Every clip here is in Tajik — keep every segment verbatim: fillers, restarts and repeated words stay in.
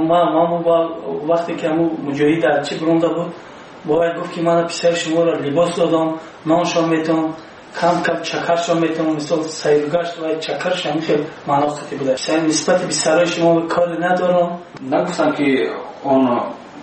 Ма ма вақте ки ҳамун муҷоҳид дар чӣ буронда буд, бояд гуфт ки ман писари шуморо либос додам, ноншон метавон, кам кам чакаршон метавон, мисол сайргашт ва чакарш ҳамин хел маъно хати буда. Нисбати писарои шумо кори надорам. Нагуфтам ки он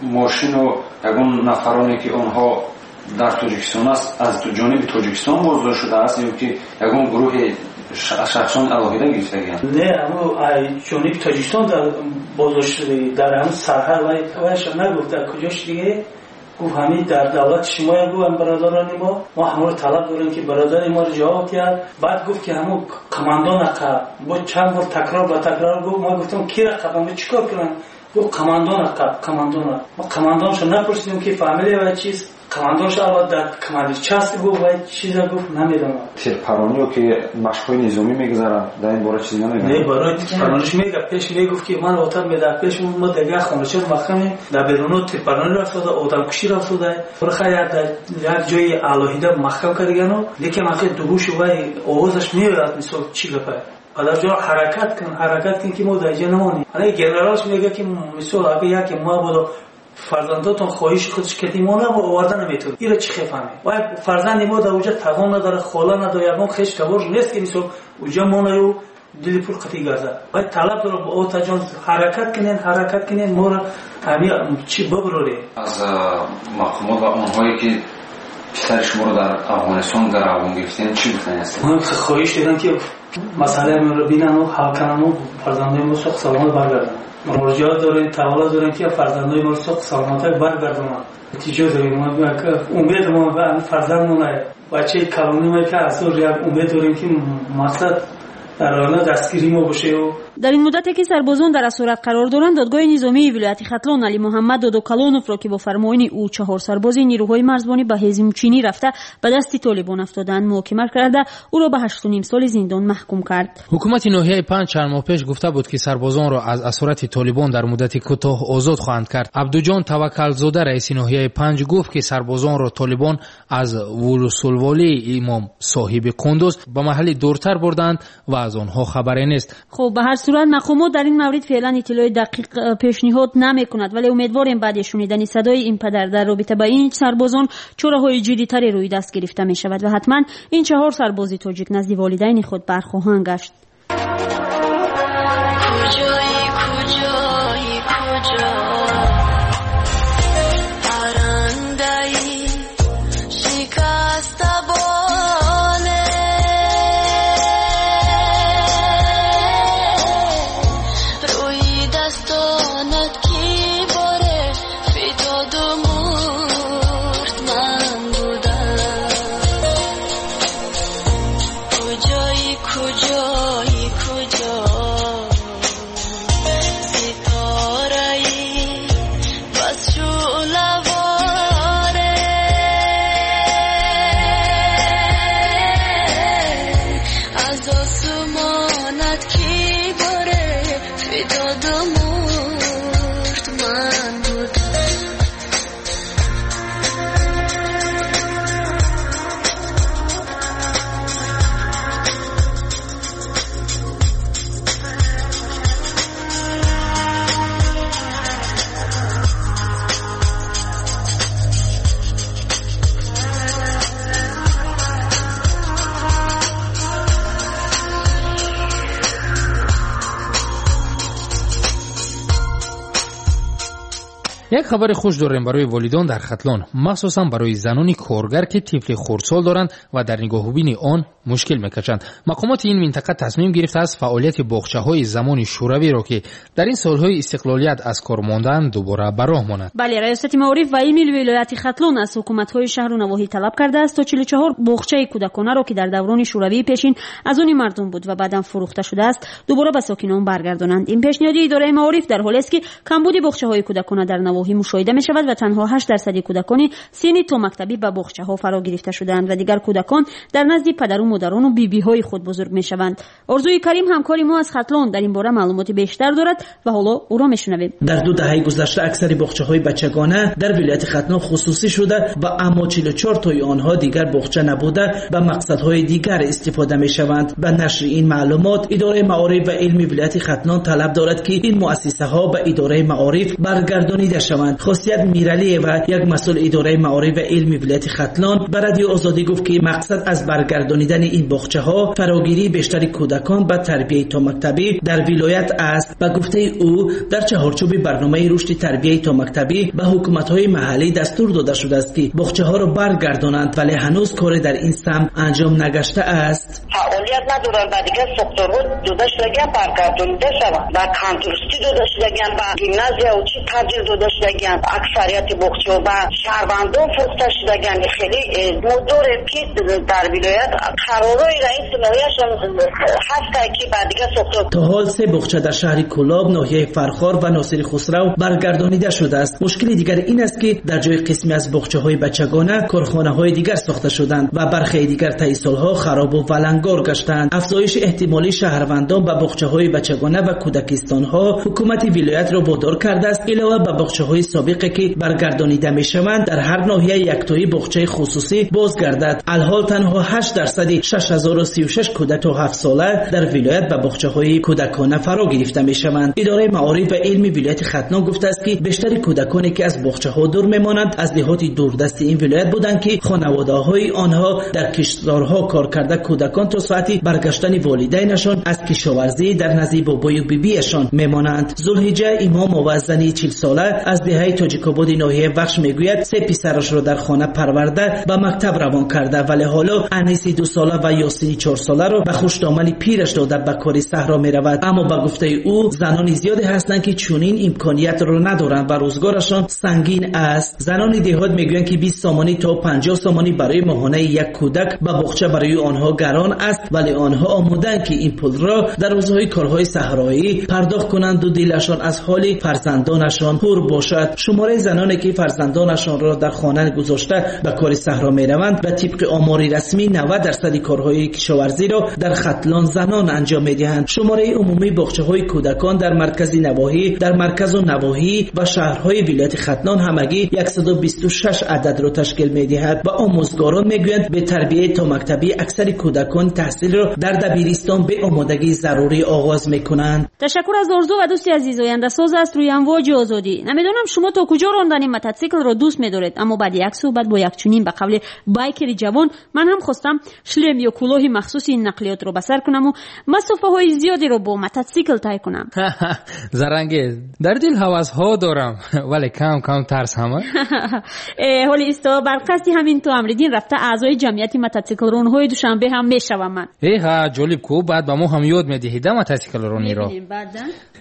мошину ягон нафароне ки онҳо дар Тоҷикистон аст, аз ҷониби Тоҷикистон боздошт шудааст ё ки ягон гурӯҳи шахсон алоҳида гирифтагианд? Не, ҳамун ҷониби Тоҷикистон боздошт шудагӣ дар ҳамун сарҳад вайша нагуфт дар куҷо шудагӣ. Гуфт ҳамин дар давлати шумоя, гуфт бародарони мо, мо ҳамонро талаб дорем ки бародари моро ҷавоб диҳад. Баъд гуфт ки ҳамун командон ақаб, бо чанд бор такрор ба такрор гуфт. Мо гуфтам кира қаб, чӣ кор кунам? Гуфт командон ақаб, командон. Мо командоншо напурсидем ки фамилия ва чиз. Командоншо аввал дар команди част гуфт ва чиза гуфт намедонам. Тирпаронӣ ё ки машқҳои низомӣ мегузаранд, дар ин бора чизе намегӯянд? Не, барои тирпарониш мега пеш мегуфт ки ман отар медар пеш мо дигар хонача махкаме дар беруно тирпаронӣ рафтода, одамкушӣ рафтода. Барха як як ҷои алоҳида маҳкам кардагану, лекин ахи дугушу вай овозаш меояд, мисол чӣ гапа. Падарҷон ҳаракат кун, ҳаракат кун ки мо дар ҷо намонем. Ана генералш мега ки мисол агар яке мо бодо фарзандотон хоҳиши худш кати мо набо оварда наметавонад. Иро чӣ хефаҳмем? Вай фарзанди мо дар уҷа тағон надорад, хола надорад, ягон хеш табор нест ки мисол уҷа монаю дили пур қатӣ гардад. Вай талаб дорад, отаҷон ҳаракат кунен, ҳаракат кунен, моро ҳами чӣ бибароред. Аз мақомот ва онҳое ки писари шуморо дар Афғонистон дар Афғон гирифтем чӣ гуфтани ҳастед? Ман хоҳиш дорам ки масъалаи моро бинанд ва ҳал кунанд ва фарзандои мо соқ саломат баргарданд. Муроҷиат дорем, тавалло дорем ки фарзандои мо соқ саломат баргардонанд. Натиҷа дорем, умед мо ба фарзандмон, бачаи калони мо ки аз як умед дорем ки мақсад дар оянда дастгирии мо боше. Дар ин муддате ки сарбозон дар асорат қарор доранд, додгоҳи низомии вилояти Хатлон Али Муҳаммад Додокалоновро ки бо фармони ӯ чаҳор сарбози нирӯҳои марзбонӣ ба ҳезумчинӣ рафта ба дасти толибон афтоданд, муҳокима карда ӯро ба ҳашту ним соли зиндон маҳкум кард. Ҳукумати ноҳияи панҷ чанд моҳ пеш гуфта буд ки сарбозонро аз асорати толибон дар муддати кӯтоҳ озод хоҳанд кард. Абдуҷон Таваккалзода раиси ноҳияи панҷ гуфт ки сарбозонро толибон аз вулусулволии имом соҳиби Қундуз ба маҳалли дуртар бурданд ва аз онҳо хабаре нест. Хуб, ба ҳар сурат мақомот дар ин маврид феълан иттилои дақиқ пешниҳод намекунад, вале умедворем баъди шунидани садои ин падар дар робита ба ин сарбозон чораҳои ҷиддитаре рӯи даст гирифта мешавад ва ҳатман ин чаҳор сарбози тоҷик назди волидайни худ бархоҳанд гашт. Як хабари хуш дорем барои волидон дар Хатлон, махсусан барои занони коргар ки тифли хурдсол доранд ва дар нигоҳубини он мушкил мекашанд. Мақомоти ин минтақа тасмим гирифтааст фаъолияти боғчаҳои замони шӯравиро ки дар ин солҳои истиқлолият аз кор мондаанд дубора ба роҳ монад. Бале, раёсати маориф ва илми вилояти Хатлон аз ҳукуматҳои шаҳру навоҳӣ талаб кардааст то чилу чаҳор боғчаи кӯдаконаро ки дар даврони шӯравии пешин аз они мардум буд ва баъдан фурӯхта шудааст дубора ба сокинон баргардонанд. Ин пешниҳоди идораи маориф дар ҳолест ки камбуди боғчаҳои кӯдакона дар навоҳӣ навоҳӣ мушоҳида мешавад ва танҳо ҳашт дарсади кӯдакони синни томактабӣ ба боғчаҳо фаро гирифта шудаанд ва дигар кӯдакон дар назди падару модарону бибиҳои худ бузург мешаванд. Орзуи Карим ҳамкори мо аз Хатлон дар ин бора маълумоти бештар дорад ва ҳоло ӯро мешунавем. Дар ду даҳаи гузашта аксари боғчаҳои бачагона дар вилояти Хатлон хусусӣ шуда ва аммо чилу чор тои онҳо дигар боғча набуда ба мақсадҳои дигар истифода мешаванд. Ба нашри ин маълумот идораи маориф ва илми вилояти Хатлон талаб дорад, ки ин муассисаҳо ба идораи маориф баргардонида шаванд. Хосият Миралиева, як масъул идораи маориф ва илми вилояти Хатлон, ба Радиои Озодӣ гуфт, ки мақсад аз баргардонидани ин боғчаҳо фарогирии бештари кӯдакон ба тарбияи томактабӣ дар вилоят аст. Ба гуфтаи ӯ, дар чаҳорчӯби барномаи рушди тарбияи томактабӣ ба ҳукуматҳои маҳаллӣ дастур дода шудааст, ки боғчаҳоро баргардонанд, вале ҳанӯз коре дар ин самт анҷом нагаштааст. Фаъолият надоранд, ба дигар сохторҳо дода шудагиан баргардонида шаванд, ба тандурустӣ дода шудагиан, ба гимназия чӣ табдил дода шудагиан, аксарияти боғчаҳо ба шаҳрвандон фурӯхта шудагиан. Хеле мо дорем, ки дар вилоят қарорҳои раиси ноҳияшон ҳастанд, ки ба дигар сохтор. То ҳол се боғча дар шаҳри Кӯлоб, ноҳияи Фархор ва Носири Хусрав баргардонида шудааст. Мушкили дигар ин аст, ки дар ҷои қисме аз боғчаҳои бачагона корхонаҳои дигар сохта шуданд ва бархе дигар таи солҳо харобу валангор гаштанд. Афзоиши эҳтимолии шаҳрвандон ба боғчаҳои бачагона ва кӯдакистонҳо ҳукумати вилоятро водор кардааст, илова ба боғчаҳои собиқе ки баргардонида мешаванд, дар ҳар ноҳия яктои боғчаи хусусӣ бозгардад. Алҳол танҳо ҳашт дарсади шаш ҳазору сию шаш кӯдак то ҳафт сола дар вилоят ба боғчаҳои кӯдакона фаро гирифта мешаванд. Идораи маориф ва илми вилояти Хатлон гуфтааст, ки бештари кӯдаконе ки аз боғчаҳо дур мемонанд, аз деҳоти дурдасти ин вилоят буданд, ки хонаводаҳои онҳо дар киштзорҳо кор карда, кӯдакон то соати баргаштани волидайнашон аз кишоварзӣ дар назди бобою бибиашон мемонанд. Зулҳиҷа Имомова, зани чилсола аз деҳаи Тоҷикободи ноҳияи Вахш, мегӯяд се писарашро дар хона парварда ба мактаб равон карда, вале ҳоло Аниси дусола ва Ёсини чорсоларо ба хушдомани пираш дода ба кори саҳро меравад. Аммо ба гуфтаи ӯ, занони зиёде ҳастанд, ки чунин имкониятро надоранд ва рӯзгорашон сангин аст. Занони деҳот мегӯянд, ки бист сомонӣ то панҷоҳ сомонӣ барои моҳонаи як кӯдак ба боғча барои онҳо гарон аст, вале онҳо омодаанд, ки ин пулро дар рӯзҳои корҳои саҳроӣ пардохт кунанд ва дилашон аз ҳоли фарзандонашон пур бошад. Шумораи заноне ки фарзандонашонро дар хона гузошта ба кори саҳро мераванд ва тибқи омори расмӣ навад дарсади корҳои кишоварзиро дар Хатлон занон анҷом медиҳанд. Шумораи умумии боғчаҳои кӯдакон дар маркази навоҳӣ, дар марказу навоҳӣ ва шаҳрҳои вилояти Хатлон ҳамагӣ яксаду бисту шаш ададро ташкил медиҳад ва омӯзгорон мегӯянд, бе тарбияи томактабӣ аксари кӯдакон таҳсилро дар дабиристон бе омодагии зарурӣ оғоз мекунанд. Ташаккур аз Орзу ва дӯсти азиз. Ояндасоз аст рӯи амвоҷи озодӣ. Намедонам шумо то куҷо рондани мототсиклро дӯст медоред, аммо баъди як суҳбат бо як чунин ба қавли байкери ҷавон, ман ҳам хостам шлем ё кӯлоҳи махсуси ин нақлиётро ба сар кунаму масофаҳои зиёдеро бо мототсикл тай кунам. Зарангез, дар дил ҳавасҳо дорам, вале кам кам тарс ҳама. Э, ҳоли исто бар қасди ҳамин ту Амриддин рафта аъзои ҷамъияти мототсиклронҳои Душанбе ҳам мешавам ман. Э ҳа, ҷолиб ку, баъд ба мо ҳам ёд медиҳӣ да мототсиклрониро.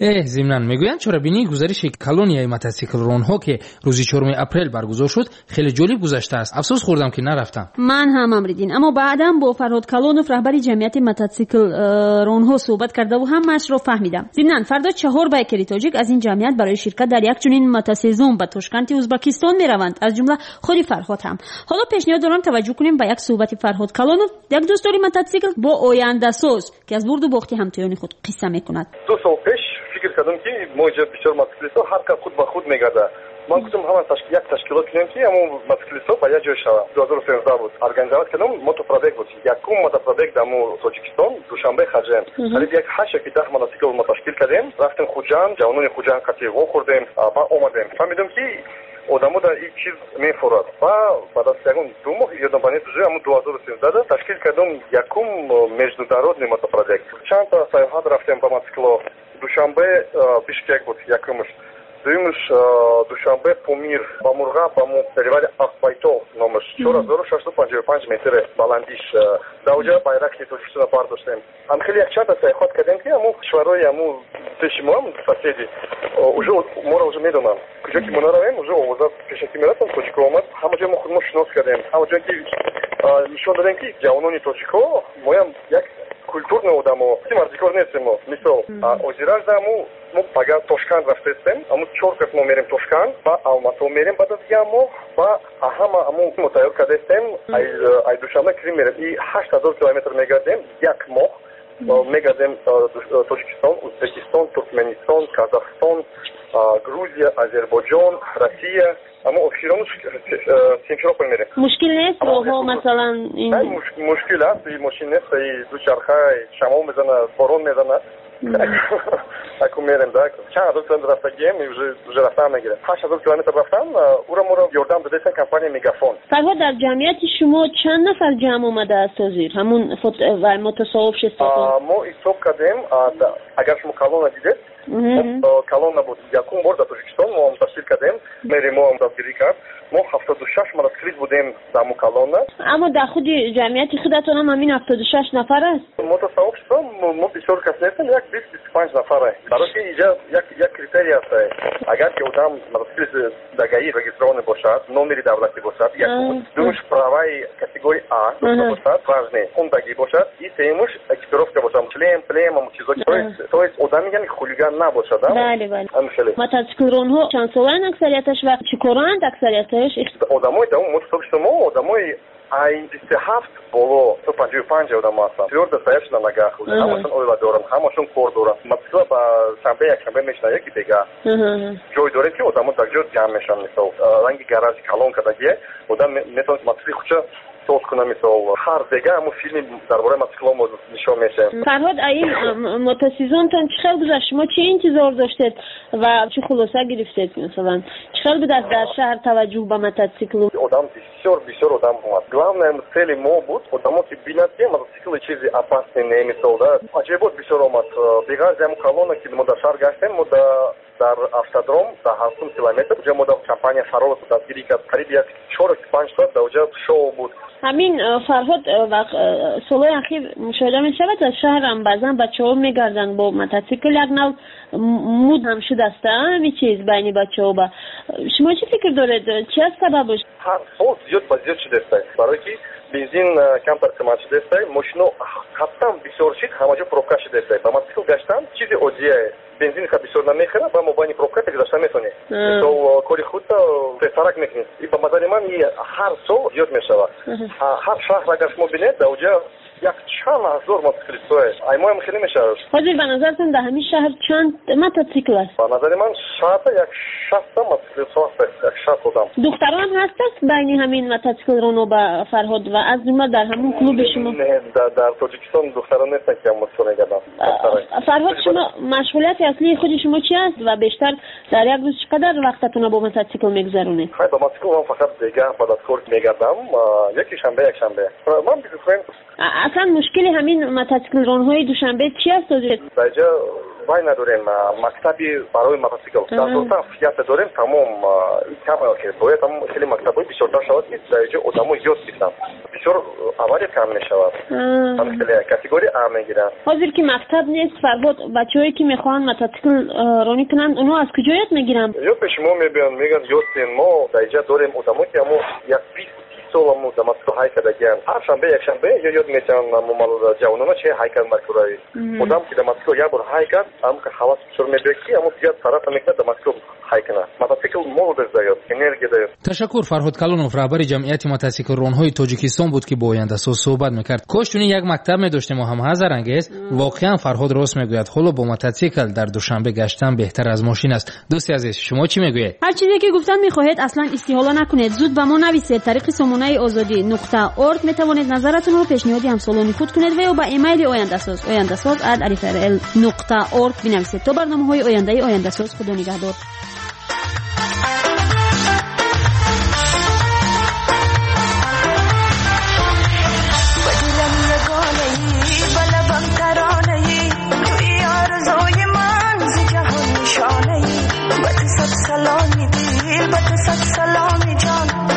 Э, зимнан мегӯянд, чорабинии гузариши колонияи мототсиклронҳо, ки рӯзи чоруми апрел баргузор шуд, хеле ҷолиб гузаштааст. Афсӯс хӯрдам, ки нарафтам. Ман ҳам, Амриддин, аммо баъдан бо Фарҳод Калонов, раҳбари ҷамъияти мототсиклронҳо, суҳбат кардаву ҳамаашро фаҳмидам. Зимнан фардо чаҳор байкери тоҷик аз ин ҷамъият барои ширкат дар як чунин мотосезон ба Тошканти Ӯзбекистон мераванд, аз ҷумла худи Фарҳод ҳам. Ҳоло пешниҳод дорам таваҷҷӯҳ кунем ба як суҳбати Фарҳод Калонов, як дӯстдори мототсикл бо ояндасоз, ки аз бурду бохти ҳамтоёни худ қисса мекунад. Ду сол пеш фикр кардам, ки мо инҷа бисёр мотоциклистҳо ҳар кас худ ба худ мегардад. Ман гуфтам, ҳама як ташкилот кунем, ки ҳамон мотоциклистҳо ба як ҷой шаванд. Ду ҳазору сенздаҳ буд, организовать кардам, мотопробег буд, якум мотопробег дар Тоҷикистон, Душанбе Хаҷем. Қариб як ҳашт ёки даҳ мотоцикл мо ташкил кардем, рафтем Хуҷанд, ҷавонони Хуҷанд қатӣ вохӯрдем ва омадем. Фаҳмидем, ки одамо дар ин чиз мефурад ва баъд аз ягон ду моҳ ёдам ба нест, уже ҳамон ду ҳазору сенздаҳ ташкил кардам якум международный мотопробег. Чандта саёҳат рафтем ба мотоцикло. Душанбе Бишкек буд якумаш, дуюмаш Душанбе Помир, ба Мурғаб, ба перевали Ақбайтол номаш, чор ҳазору шашсаду панҷоҳу панҷ метр баландиш. Дар оҷа байрақи Тоҷикистонро бардоштем. Ҳам хеле якчандта саёҳат кардем, ки ҳамун кишварҳои ҳамун пеши мо, соседи, уже моро уже медонанд. Куҷо ки мо наравем, уже овоза пешакӣ мерасанд, тоҷико омад. Ҳама ҷо мо худмо шинос кардем, ҳама ҷо ки нишон додем, ки ҷавонони тоҷико моям як культурный одамо, мардикор нестем мо. Мисол, озиражда ҳамун Мо пага Тошканд рафтестем, аму чор кас мо мерем Тошканд, ба Алмато мерем баъд аз як моҳ, ба ҳама аму мо тайёр кардестем, ай Душанбе Крим мерем. И ҳашт ҳазор километр мегардем як моҳ. Мегардем Тоҷикистон, Узбекистон, Туркменистон, Казахстон, Грузия, Азербойҷон, Россия. Аммо охирон Симферополь мерем. Мушкил нест роҳҳо масалан? Мушкил аст, мошин нест, дучарха шамол мезанад, борон мезанад. Аку мерем, да. Чанд ҳазор километр рафтагием, уже рафтан мегирем. Ҳашт ҳазор километр рафтан, ура моро ёрдам додесан компания Мегафон. Фарҳод, дар ҷамъияти шумо чанд нафар ҷамъ омадааст ҳозир? Ҳамун мотосообщество? Мо ҳисоб кардем, агар шумо колонна дидед, колонна буд. Якум бор дар Тоҷикистон мо ташкил кардем, мери мо дастгирӣ кард. Мо ҳафтоду шаш мотоциклист будем дар ҳамун колонна. Аммо дар худи ҷамъияти худатон ҳам ҳамин ҳафтоду шаш нафар аст? Мотосообщество мо бисёр кас нестем, як бист бисту панҷ нафар. Барои ки инҷа як як критерий аст. Агар ки одам мотоциклист дар ГАИ регистрированный бошад, номери давлатӣ бошад, якум, дуюмаш праваи категории А бошад, важный, хондагӣ бошад, и сеюмаш экипировка бошад, шлем, плем, ҳамун чизо. То есть одами яъне хулиган набошад. Бале, бале. Мотоциклронҳо чанд солаанд аксарияташ ва чӣ коранд аксарияташ? Одамои дар мотосообщество мо одамои ай бисту ҳафт боло то панҷоҳу панҷ одам ҳастанд. Твёрдо стоящие на ногах. Ҳамашон оила доранд, ҳамашон кор доранд. Мотоцикл ба шанбе, якшанбе мешинад, яки бега. Ҷой дорем ки одамо дар ҷо ҷамъ мешаванд, мисол. Ранги гаражи калон кардагие, одам метавонад мотоцикли худша соз кунад, мисол. Ҳар бега ҳамун филми дар бораи мотоциклҳо мо нишон мешавем. Фарҳод, ин мотосезонтон чӣ хел гузашт? Шумо чӣ интизор доштед ва чӣ хулоса гирифтед, масалан? Чӣ хел будааст дар шаҳр таваҷҷӯҳ ба мотоцикл? Одам бисёр бисёр одам омад. Главное цели мо буд, одамо ки бинад ки мотоцикл чизи опасный не, мисол, да. Аҷоибот бисёр омад. Беғарзи ҳамун колонна ки мо дар шаҳр гаштем, мо дар автодром дар ҳафтум километр уҷа мо дар компания Фарол дастгирӣ кард. Қариб як чор панҷ соат дар уҷа шоу буд. Ҳамин Фарҳод, солҳои ахир мушоҳида мешавад дар шаҳрам баъзан бачаҳо мегарданд бо мотоцикл, як нав муд ҳам шудааст ҳамин чиз байни бачаҳо. Ба шумо чӣ фикр доред, чи аст сабабаш? Ҳар сол зиёд ба зиёд шудааст, барое ки бензин камтар қимат шудааст, мошино ҳаттан бисёр шид, ҳама ҷо пробка шудааст. Ба мотоцикл гаштан чизи оддие, бензин ха бисёр намехӯрад, ба мобайни пробка гузашта метавонӣ. Мисол, кори худта тезтарак мекунӣ. И ба назари ман ҳар сол зиёд мешавад. Ҳар шаҳр агар шумо бинед, дар уҷа як чанд ҳазор мотоциклистҳое. Аймоям хеле мешавад. Ҳозир ба назартон дар ҳамин шаҳр чанд мотоцикл аст? Ба назари ман шаҳрда як шастта мотоциклистҳо ҳаст, як шаст одам. Духтарон ҳастанд байни ҳамин мотоциклроно ба Фарҳод ва аз ҷумла дар ҳамун клуби шумо? Не, дар Тоҷикистон духтарон нестанд ки мотоцикл мегарданд. Фарҳод, шумо машғулияти аслии худи шумо чи аст ва бештар дар як рӯз чӣ қадар вақтатонро бо мотоцикл мегузаронед? Хай, ба мотоцикл ман фақат бегаҳ баъд аз кор мегардам, яки шанбе, якшанбе. Ман бизнесмен. Аслан мушкили ҳамин мотоциклронҳои Душанбе чи аст ҳозир? Дар ҷо вай надорем, мактаби барои мотоцикл. Дар Дуртаф якта дорем, тамом кам бояд ҳам хеле мактабҳои бисёртар шавад ки дар ҷо одамо ёд гиранд. Бисёр авария кам мешавад. Ҳам хеле категория А мегиранд. Ҳозир ки мактаб нест, Фарҳод, бачаҳое ки мехоҳанд мотоцикл ронӣ кунанд, онҳо аз куҷо ёд мегиранд? Ё пеши мо мебиёнд, мегӯянд ёд диҳем. Мо дар ҷо дорем одамо ки ҳамо як бист соламу да мотоцикл ҳай кардагианд. Ҳар шанбе, якшанбе ё ёд метиҳанд ҷавонона чи ҳай кард маркураи. Одам ки да мотоцикл як бор ҳай кард, ҳам ҳавас бисёр мебиёд ки ҳамо дигар тарафа мекунад да мотоцикл ҳай кунад. Мотоцикл молодость даёд, энергия даёд. Ташаккур. Фарҳод Калонов, раҳбари ҷамъияти мотоциклронҳои Тоҷикистон буд ки бо ояндасоз суҳбат мекард. Кош чунин як мактаб медоштем ҳам ҳазарангез. Воқеан Фарҳод рост мегӯяд, ҳоло бо мотоцикл дар Душанбе гаштан беҳтар аз мошин аст. Дӯсти азиз, шумо чӣ мегӯед? Ҳар чизе ки гуфтан мехоҳед, аслан истиҳола накунед. Зуд ба мо нависед. Тариқи сомонаи озодӣ нуқта орг метавонед назаратонро пешниҳоди ҳамсолони худ кунед ва ё ба эмайли ояндасоз ояндасоз ат рфрл нуқта орг бинависед. То барномаҳои ояндаи ояндасоз, худо нигаҳдор. Salami dil, bat sat salami jan.